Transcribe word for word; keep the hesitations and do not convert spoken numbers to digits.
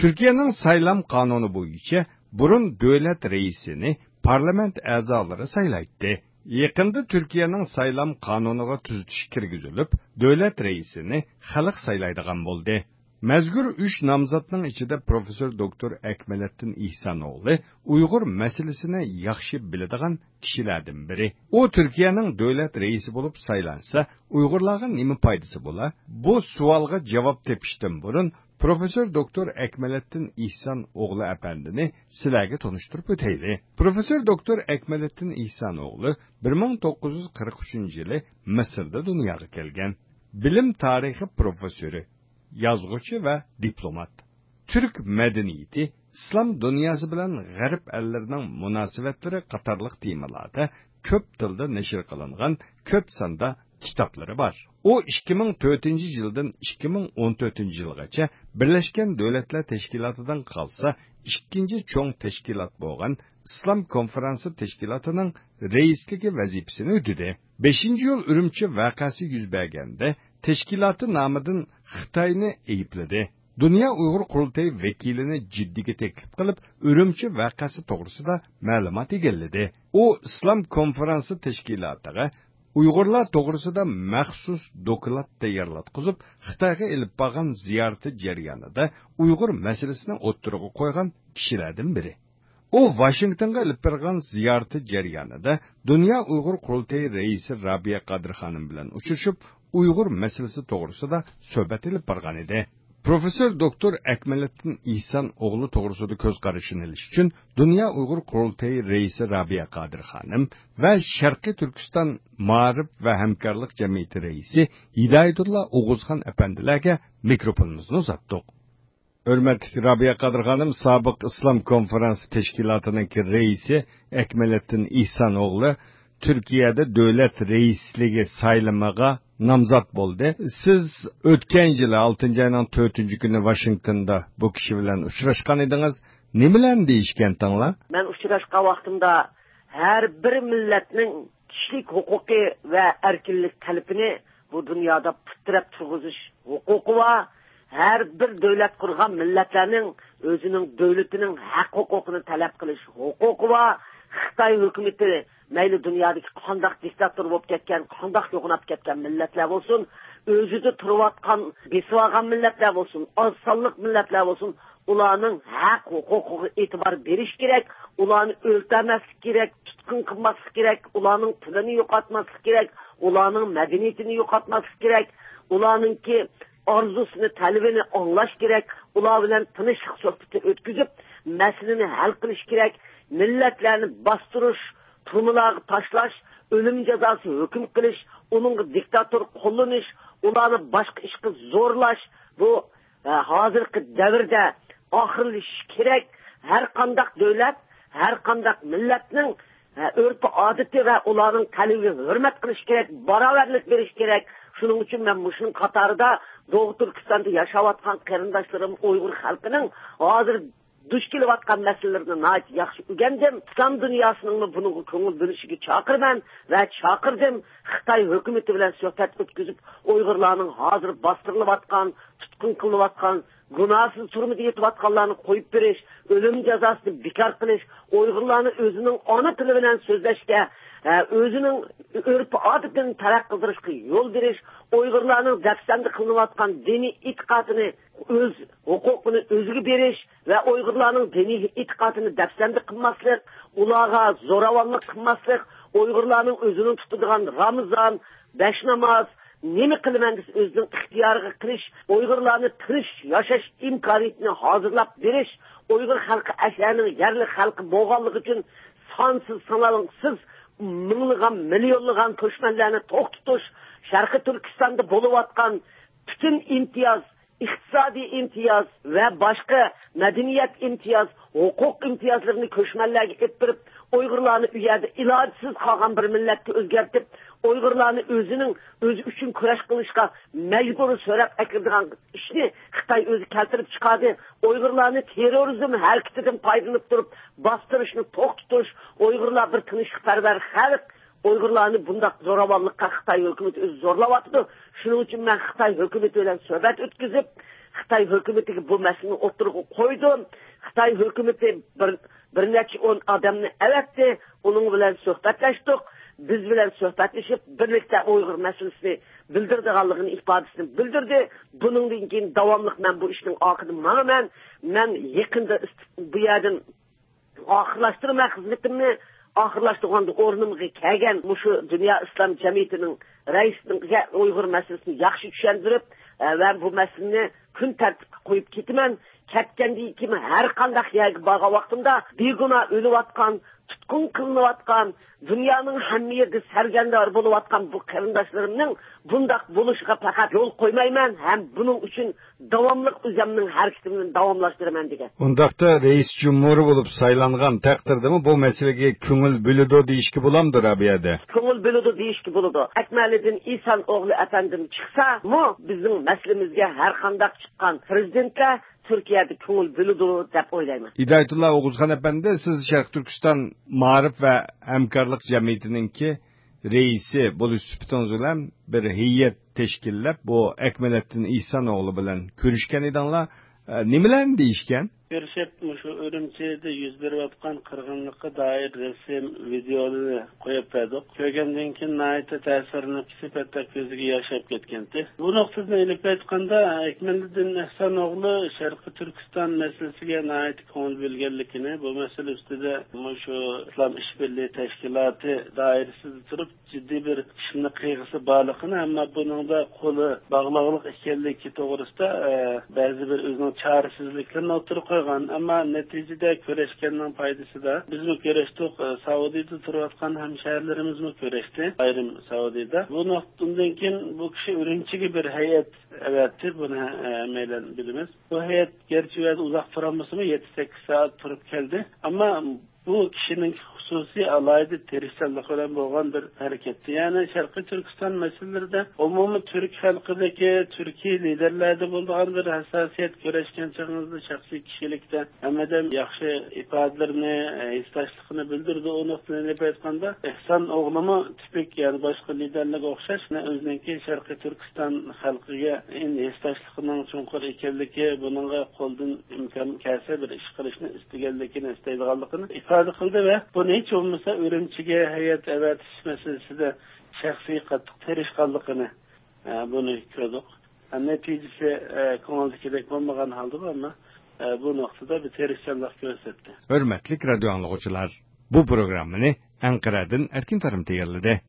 تۈركىيەنىڭ سايلام قانۇنى بويىچە بۇرۇن دۆلەت رەئىسىنى پارلامېنت ئەزالىرى سايلايتتى. يېقىندا تۈركىيەنىڭ سايلام قانۇنىغا تۈزىتىش كىرگۈزۈلۈپ، دۆلەت رەئىسىنى خەلق سايلايدىغان بولدى. مەزكۇر ئۈچ نامزاتنىڭ ئىچىدە پروفېسسور دوكتور ئەكمەلەتتىن ئېھسان ئوغلى ئۇيغۇر مەسىلىسىنى ياخشى بىلىدىغان كىشىلەردىن بىرى. ئۇ تۈركىيەنىڭ دۆلەت رەئىسى بولۇپ سايلانسا، ئۇيغۇرلارغا نېمە پايدىسى بولا؟ بۇ سوئالغا جاۋاب تېپىشتىن بۇرۇن، پروفېسسور دوكتور ئەكمەلەتتىن ئېھسان ئوغلى ئەپەندىنى سىلەرگە تونۇشتۇرۇپ ئۆتەيلى. پروفېسسور دوكتور ئەكمەلەتتىن ئېھسان ئوغلى بىر مىڭ توققۇز يۈز قىرىق ئۈچىنچى يىلى مىسىردا دۇنياغا كەلگەن. بىلىم تارىخى پروفېسسورى، يازغۇچى ۋە دىپلومات. تۈرك مەدەنىيىتى، ئىسلام دۇنياسى بىلەن غەرب ئەللىرىنىڭ مۇناسىۋەتلىرى قاتارلىق تېمىلاردا كۆپ تىلدا نەشر قىلىنغان كۆپ ساندا كىتابلىرى بار. ئۇ ئىككى مىڭ تۆتىنچى يىلدىن ئىككى مىڭ ئون تۆتىنچى يىلغىچە بىرلەشكەن دۆلەتلەر تەشكىلاتىدىن قالسا ئىككىنچى چوڭ تەشكىلات بولغان ئىسلام كونفېرانسى تەشكىلاتىنىڭ رەئىسلىكى ۋەزىپىسىنى ئۆتىدى. بەشىنچى ئىيۇل ئۈرۈمچى ۋەقەسى يۈز بەرگەندە، تەشكىلاتى نامىدىن خىتاينى ئەيىبلىدى. دۇنيا ئۇيغۇر قۇرۇلتىيى ۋەكىلىنى جىددىگە تەكلىپ قىلىپ، ئۈرۈمچى ۋەقەسى توغرىسىدا مەلۇمات ئىگىلىدى. ئۇ ئىسلام كونفېرانسى تەشكىلاتىغا ئۇيغۇرلار توغرىسىدا مەخسۇس دوكلات تەييارلاتقۇزۇپ، خىتايغا ئېلىپ بارغان زىيارىتى جەريانىدا ئۇيغۇر مەسىلىسىنى ئوتتۇرىغا قويغان كىشىلەردىن بىرى. ئۇ ۋاشىنگتونغا ئېلىپ بارغان زىيارىتى جەريانىدا دۇنيا ئۇيغۇر قۇرۇلتىيى رەئىسى رابىيە قادىر خانىم بىلەن ئۇچرىشىپ، ئۇيغۇر مەسىلىسى توغرىسىدا سۆھبەت ئېلىپ بارغان ئىدى. پروفېسسور دوكتور ئەكمەلەتتىن ئېھسان ئوغلى توغرىسىدا كۆز قارىشىنى ئېلىش ئۈچۈن دۇنيا ئۇيغۇر قۇرۇلتىيى رەئىسى رابىيە قادىر خانىم ۋە شەرقىي تۈركىستان مائارىپ ۋە ھەمكارلىق جەمئىيىتى رەئىسى ھىدايەتۇللا ئوغۇزخان ئەپەندىلەرگە مىكروفونىمىزنى ئۇزاتتۇق. ھۆرمەتلىك رابىيە قادىر خانىم، سابىق ئىسلام كونفېرانسى تەشكىلاتىنىڭكى رەئىسى ئەكمەلەتتىن ئېھسان ئوغلى تۈركىيەدە دۆلەت رەئىسلىكى سايلىمىغا نامزات بولدى. سىز ئۆتكەن يىلى ئالتىنچى ئاينىڭ تۆتىنچى كۈنى ۋاشىنگتوندا بۇ كىشى بىلەن ئۇچراشقان ئىدىڭىز. نېمىلەرنى دېيىشكەنتىڭلار؟ مەن ئۇچراشقان ۋاقتىمدا ھەر بىر مىللەتنىڭ كىشىلىك ھوقۇقى ۋە ئەركىنلىك تەلىپىنى بۇ دۇنيادا پۇت تىرەپ تۇرغۇزۇش ھوقۇقى بار. ھەر بىر دۆلەت قۇرغان مىللەتلەرنىڭ ئۆزىنىڭ دۆلىتىنىڭ ھەق ھوقۇقىنى تەلەپ قىلىش ھوقۇقى بار. خىتاي ھۆكۈمىتى مەيلى دۇنيادىكى قانداق دىكتاتور بولۇپ كەتكەن، قانداق يوغىناپ كەتكەن مىللەتلەر بولسۇن، ئۆزىدە تۇرۇۋاتقان، بېسىۋالغان مىللەتلەر بولسۇن، ئاز سانلىق مىللەتلەر بولسۇن، ئۇلارنىڭ ھەق ھوقۇقىغا ئېتىبار بېرىش كېرەك، ئۇلارنى ئۆلتۈرمەسلىك كېرەك، تۇتقۇن قىلماسلىق كېرەك، ئۇلارنىڭ تىلىنى يوقاتماسلىق كېرەك، ئۇلارنىڭ مەدەنىيىتىنى يوقاتماسلىق كېرەك، ئۇلارنىڭكى ئارزۇسىنى، تەلىپىنى ئاڭلاش كېرەك، ئۇلار بىلەن تىنچلىق سۆھبىتى ئۆتكۈزۈپ، مەسىلىنى ھەل قىلىش كېرەك. مىللەتلەرنى باستۇرۇش، تۈرمىلەرگە تاشلاش، ئۆلۈم جازاسى ھۆكۈم قىلىش، ئۇنىڭغا دىكتاتور قوللىنىش، ئۇلارنى باشقا ئىشقا زورلاش، بۇ ھە، ھازىرقى دەۋردە ئاخىرلىشىشى كېرەك. ھەر قانداق دۆلەت، ھەر قانداق مىللەتنىڭ، ھە، ئۆرپ-ئادىتى ۋە ئۇلارنىڭ تەلىپىگە ھۆرمەت قىلىش كېرەك، باراۋەرلىك بېرىش كېرەك. شۇنىڭ ئۈچۈن مەن مۇشۇنىڭ قاتارىدا دوغۇ تۈركىستاندا ياشاۋاتقان قېرىنداشلىرىم ئۇيغۇر خەلقىنىڭ ھازىر دۇچ كېلىۋاتقان مەسىلىلىرىنى ناھايىتى ياخشى ئۆگەندىم. ئىسلام دۇنياسىنىڭمۇ بۇنىڭغا كۆڭۈل بۆلۈشىگە چاقىرىمەن ۋە چاقىردىم. خىتاي ھۆكۈمىتى بىلەن سۆھبەت ئۆتكۈزۈپ، ئۇيغۇرلارنىڭ ھازىر باستۇرۇلۇۋاتقان، تۇتقۇن قىلىنىۋاتقان، گۇناھسىز تۈرمىدە يېتىۋاتقانلارنى قويۇپ بېرىش، ئۆلۈم جازاسىنى بىكار قىلىش، ئۇيغۇرلارنى ئۆزىنىڭ ئانا تىلى بىلەن سۆزلەشكە، ھە، ئۆزىنىڭ ئۆرپ-ئادىتىنى تەرەققىي قىلدۇرۇشقا يول بېرىش، ئۇيغۇرلارنىڭ دەپسەندە قىلىنىۋاتقان دىنىي ئېتىقادىنى، ئۆز ھوقۇقىنى ئۆزىگە بېرىش ۋە ئۇيغۇرلارنىڭ دىنىي ئېتىقادىنى دەپسەندە قىلماسلىق، ئۇلارغا زوراۋانلىق قىلماسلىق، ئۇيغۇرلارنىڭ ئۆزىنىڭ تۇتىدىغان رامىزان، بەش ناماز، نېمە قىلىمەن دېسە ئۆزىنىڭ ئىختىيارىغا قىلىش، ئۇيغۇرلارنى تىنچ ياشاش ئىمكانىيىتىنى ھازىرلاپ بېرىش، ئۇيغۇر خەلقى ئەشەنىڭ يەرلىك خەلقى بولغانلىقى ئۈچۈن سانسىز سانالغۇسىز مىڭلىغان، مىليونلىغان كۆچمەنلەرنى توختىتىش، شەرقىي تۈركىستاندا بولۇۋاتقان پۈتۈن ئىمتىياز، ئىقتىسادىي ئىمتىياز ۋە باشقا مەدەنىيەت ئىمتىياز، ھوقۇق ئىمتىيازلىرىنى كۆچمەنلەرگە ئېلىپ بېرىپ، ئۇيغۇرلارنى ئۇ يەردە ئىلاجسىز قالغان بىر مىللەتكە ئۆزگەرتىپ، ئۇيغۇرلارنى ئۆزىنىڭ ئۆزى ئۈچۈن كۈرەش قىلىشقا مەجبۇر سۆرەپ ئەكىرىدىغان ئىشنى خىتاي ئۆزى كەلتۈرۈپ چىقاردى. ئۇيغۇرلارنى تېررورىزم ھەرىكىتىدىن پايدىلىنىپ تۇرۇپ باستۇرۇشنى توختىتىش، ئۇيغۇرلار بىر تىنچلىقپەرۋەر خەلق، ئۇيغۇرلارنى بۇنداق زوراۋانلىققا خىتاي ھۆكۈمىتى ئۆزى زورلاۋاتىدۇ. شۇنىڭ ئۈچۈن مەن خىتاي ھۆكۈمىتى بىلەن سۆھبەت ئۆتكۈزۈپ، خىتاي ھۆكۈمىتىگە بۇ مەسىلىنى ئوتتۇرىغا قويدۇم. خىتاي ھۆكۈمىتى بىر، بىر نەچچە ئون ئادەمنى ئەۋەتتى، ئۇنىڭ بىلەن سۆھبەتلەشتۇق. بىز بىلەن سۆھبەتلىشىپ، بىرلىكتە ئۇيغۇر مەسىلىسىنى بىلدۈرىدىغانلىقىنى ئىپادىسىنى بىلدۈردى. بۇنىڭدىن كېيىن داۋاملىق مەن بۇ ئىشنىڭ ئارقىدىن ماڭىمەن. مەن يېقىندا ئىست-، بۇ يەردىن ئاخىرلاشتۇرىمەن خىزمىتىمنى. ئاخىرلاشتۇرغاندا ئورنۇمغا كەلگەن مۇشۇ دۇنيا ئىسلام جەمئىيىتىنىڭ رەئىسىنىڭ ئۇيغۇر مەسىلىسىنى ياخشى چۈشەندۈرۈپ، ئە، ۋە بۇ مەسىلىنى كۈن تەرتىپكە قويۇپ كېتىمەن. كەتكەندىن كېيىن ھەر قانداق يەرگە بارغان ۋاقتىمدا بىگۇناھ ئۆلۈۋاتقان، تۇتقۇن قىلىنىۋاتقان، دۇنيانىڭ ھەممە يېرىدە سەرگەردان بولۇۋاتقان بۇ قېرىنداشلىرىمنىڭ بۇنداق بولۇشىغا پەقەت يول قويمايمەن ھەم بۇنىڭ ئۈچۈن داۋاملىق ئۆزۈمنىڭ ھەرىكىتىمنى داۋاملاشتۇرىمەن، دېگەن. ئۇنداقتا رەئىس جۇمھۇر بولۇپ سايلانغان تەقدىردىمۇ بۇ مەسىلىگە كۆڭۈل بۆلىدۇ دېيىشكە بولامدۇ، رابىيەدە؟ كۆڭۈل بۆلىدۇ دېيىشكە بولىدۇ. ئەكمەلىدىن ئىسان ئوغلى ئەپەندىم چىقسىمۇ، بىزنىڭ مەسىلىمىزگە ھەر قانداق چىققان پىرېزىدېنتلەر تۈركىيەدە كۆڭۈل بۆلىدۇ دەپ ئويلايمەن. ھىدايەتۇللا ئوغۇزخان ئەپەندى، سىز شەرقىي تۈركىستان مائارىپ ۋە ھەمكارلىق جەمئىيىتىنىڭكى رەئىسى بولۇش سۈپىتىڭىز بىلەن بىر ھەيئەت تەشكىللەپ، بۇ ئەكمەلەتتىن ئېھسان ئوغلى بىلەن كۆرۈشكەن ئىدىڭلار. ئە، نېمىلەرنى دېيىشكەن؟ كۆرۈشۈپ، مۇشۇ ئۈرۈمچىدە يۈز بېرىۋاتقان قىرغىنلىققا دائىر رەسىم، ۋىدېئولىرىنى قويۇپ بەردۇق. كۆرگەندىن كېيىن ناھايىتى تەسىرلىنىپ كېتىپ، ھەتتا كۆزىگە ياش ئېلىپ كەتكەنتى. بۇ نۇقتىدىن ئېلىپ ئېيتقاندا، ئەكمەلىدىن ئېھسان ئوغلى شەرقىي تۈركىستان مەسىلىسىگە ناھايىتى كۆڭۈل بۆلگەنلىكىنى، بۇ مەسىلە ئۈستىدە مۇشۇ ئىسلام ئىشبىرلىكى تەشكىلاتى دائىرىسىدە تۇرۇپ، جىددىي بىر ئىشنى قىلغۇسى بارلىقىنى، ئەمما بۇنىڭدا قولى باغلاقلىق ئىكەنلىكى توغرىسىدا، ئە، بەزى بىر ئۆزىنىڭ چارىسىزلىكلىرىنى ئوتتۇرىغا قويغان. ئەمما نەتىجىدە كۆرۈشكەننىڭ پايدىسىدا بىزمۇ كۆرۈشتۇق، ئە، سائۇدىدا تۇرۇۋاتقان ھەمشەھەرلىرىمىزمۇ كۆرۈشتى، ئايرىم سائۇدىدا. بۇ نۇقتىدىن كېيىن بۇ كىشى ئۈرۈمچىگە بىر ھەيئەت ئەۋەتتى، بۇنى، ئە، ھەممەيلەن بىلىمىز. بۇ ھەيئەت گەرچە ئۇ يەردە ئۇزاق تۇرالمىسىمۇ، يەتتە سەككىز سائەت تۇرۇپ كەلدى. ئەمما بۇ كىشىنىڭ خۇسۇسىي ئالاھىدە تىرىشچانلىقى بىلەن بولغان بىر ھەرىكەتتى. يەنى شەرقىي تۈركىستان مەسىلىلىرىدە ئومۇمىي تۈرك خەلقىدىكى، تۈركىي لىدېرلەردە بولىدىغان بىر ھەسساسىيەت، كۆرۈشكەن چېغىڭىزدا شەخسىي كىشىلىكتە ھەممىدەم ياخشى ئىپادىلىرىنى، ھېسداشلىقىنى بىلدۈرىدۇ. ئۇ نۇقتىدىن ئېلىپ ئيەتقاندا، ئېھسان ئوغلىمۇ تىپىك، يەنى باشقا لىدېرلەرگە ئوخشاش، ئۆزىنىڭكى شەرقىي تۈركىستان خەلقىگە ھېسداشلىقىنىڭ چوڭقۇر ئىكەنلىكى، بۇنىڭغا قولدىن ئىمكان كەلسە بىر ئىش قىلىشنى ئىستىگەنلىكىنى، ئىستەيدىغانلىقىنى ئىپادە قىلدى ۋە بۇنى ھېچ بولمىسا ئۈرۈمچىگە ھەيئەت ئەۋەتىش مەسىلىسىدە شەخسىي قاتتىق تىرىشقانلىقىنى، ئە، بۇنى كۆردۇق. ئە، نەتىجىسى، ئە، كۆڭۈلدىكىدەك بولمىغان ھالدا، ئەمما، ئە، بۇ نۇقتىدا بىر تىرىشچانلىق كۆرسەتتى. ھۆرمەتلىك رادىيو ئاڭلىغۇچىلار، بۇ پروگراممىنى ئەنقەرەدىن ئەركىن تارىم تەييارلىدى.